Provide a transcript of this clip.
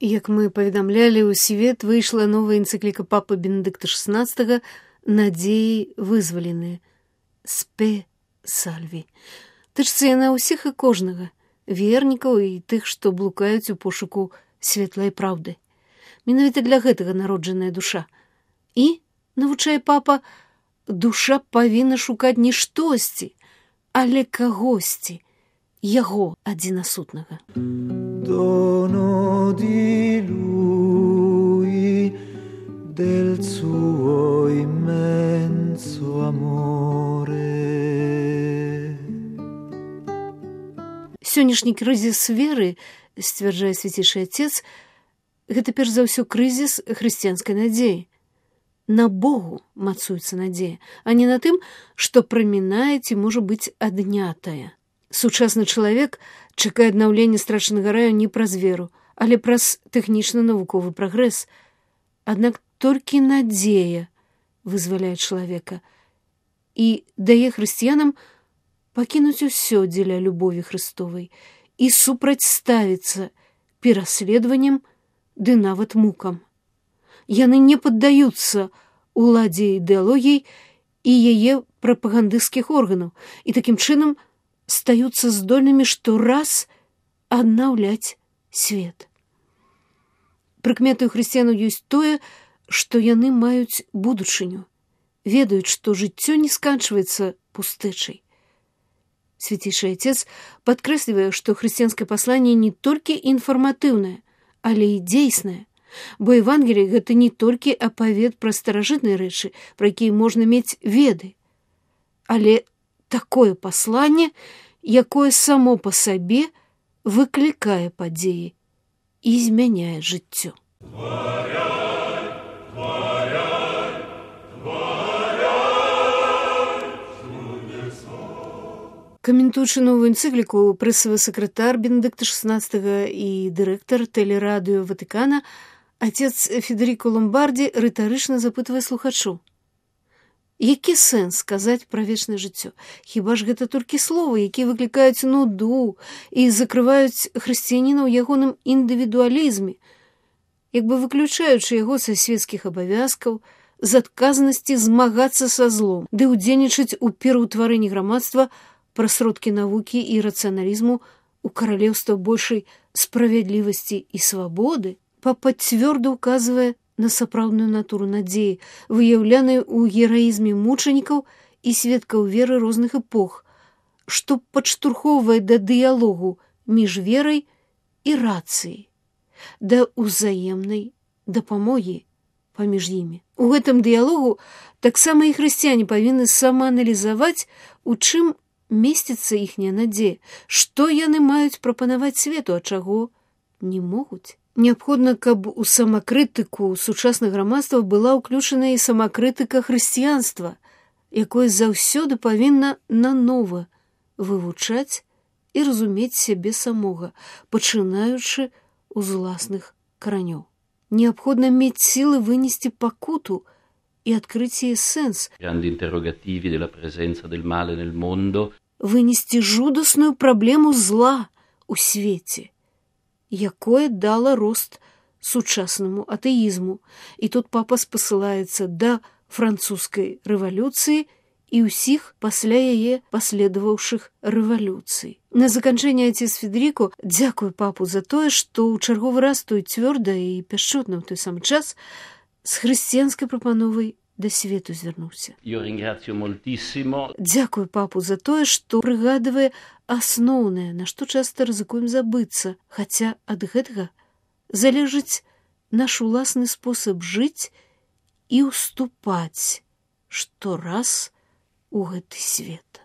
Як мы паведамлялі, у свет выйшла новая энцыкліка папы Бенедыкта XVI «Надзеі вызваленыя» «Спе сальві». Тычыцца яна ўсіх і кожнага, вернікаў і тых, што блукаюць у пошуку светлай праўды. Менавіта для гэтага народжаная душа. І, навучае папа, душа павінна шукаць не штосьці, але кагосьці, яго адзінасутнага. Dono di lui, del suo immenso amore. Сённяшні крызіс веры, сцвярджае свяцейшы Отец, гэта перш за ўсё крызіс хрысціянскай надзеі. На Богу мацуецца надзея, а не на тым, што прамінае ці можа быць аднятая. Сучасны чалавек чакае аднаўлення страчанага раю не праз веру, але праз тэхнічна-навуковы прагрэс. Аднак толькі надзея вызваляе чалавека і дае хрысціянам пакінуць усё дзеля любові Хрыстовай і супрацьставіцца пераследаванням ды нават мукам. Яны не паддаюцца уладзе ідэалогій і яе прапагандысцкіх органаў і такім чынам стаюцца здольнымі штораз аднаўляць свет. Прыкметай хрысціянаў ёсць тое, што яны маюць будучыню, ведаюць, што жыццё не сканчваецца пустэчай. Свяцейшы Отец падкрэслівае, што хрысціянскае пасланне не толькі інфарматыўнае, але і дзейснае, бо Евангелие — гэта не толькі апавед пра старажытныя рэчы, пра якія можна мець веды, але такое пасланне, якое само па сабе выклікае падзеі і змяняе жыццё. Каментуючы новую энцыкліку, прэсавы сакратар Бенедыкта XVI і дырэктар тэлерадыё Ватыкана Отец Федеріко Ломбарді рытарычна запытвае слухачоў: які сэнс казаць пра вечнае жыццё? Хіба ж гэта толькі словы, якія выклікаюць нуду і закрываюць хрысціяніна ў ягоным індывідуалізме, як бы выключаючы яго са свецкіх абавязкаў, з адказнасці змагацца са злом, ды ўдзельнічаць у пераўтварэнні грамадства пра сродкі навукі і рацыяналізму ў каралеўства большай справядлівасці і свабоды? Папа цвёрда ўказвае на сапраўдную натуру надзеі, выяўляную ў гераізме мучанікаў і сведкаў веры розных эпох, што падштурхоўвае да дыялогу між верай і рацыяй, да ўзаемнай дапамогі паміж імі. У гэтым дыялогу таксама і хрысціяне павінны самааналізаваць, у чым месціцца іхняя надзея, што яны маюць прапанаваць свету, а чаго не могуць. Неабходна, каб у самакрытыку сучаснага грамадства была ўключана і самакрытыка хрысціянства, якое заўсёды павінна нанова вывучаць і разумець сябе самога, пачынаючы з уласных каранёў. Неабходна мець сілы вынесці пакуту і адкрыць яе сэнс, вынесці жудасную праблему зла ў свеце, якое дала рост сучаснаму атэізму. І тут папа спасылаецца да французскай рэвалюцыі і ўсіх пасля яе паследаваўшых рэвалюцый. На заканчэнне Отец Федеріко дзякуе папу за тое, што ў чарговы раз той цвёрда і пяшчотна ў той самы час з хрысціянскай прапановай да свету звярнуўся. Дзякуй папу за тое, што прыгадвае асноўнае, на што часта рызыкуем забыцца, хаця ад гэтага залежыць наш уласны спосаб жыць і ўступаць штораз у гэты свет.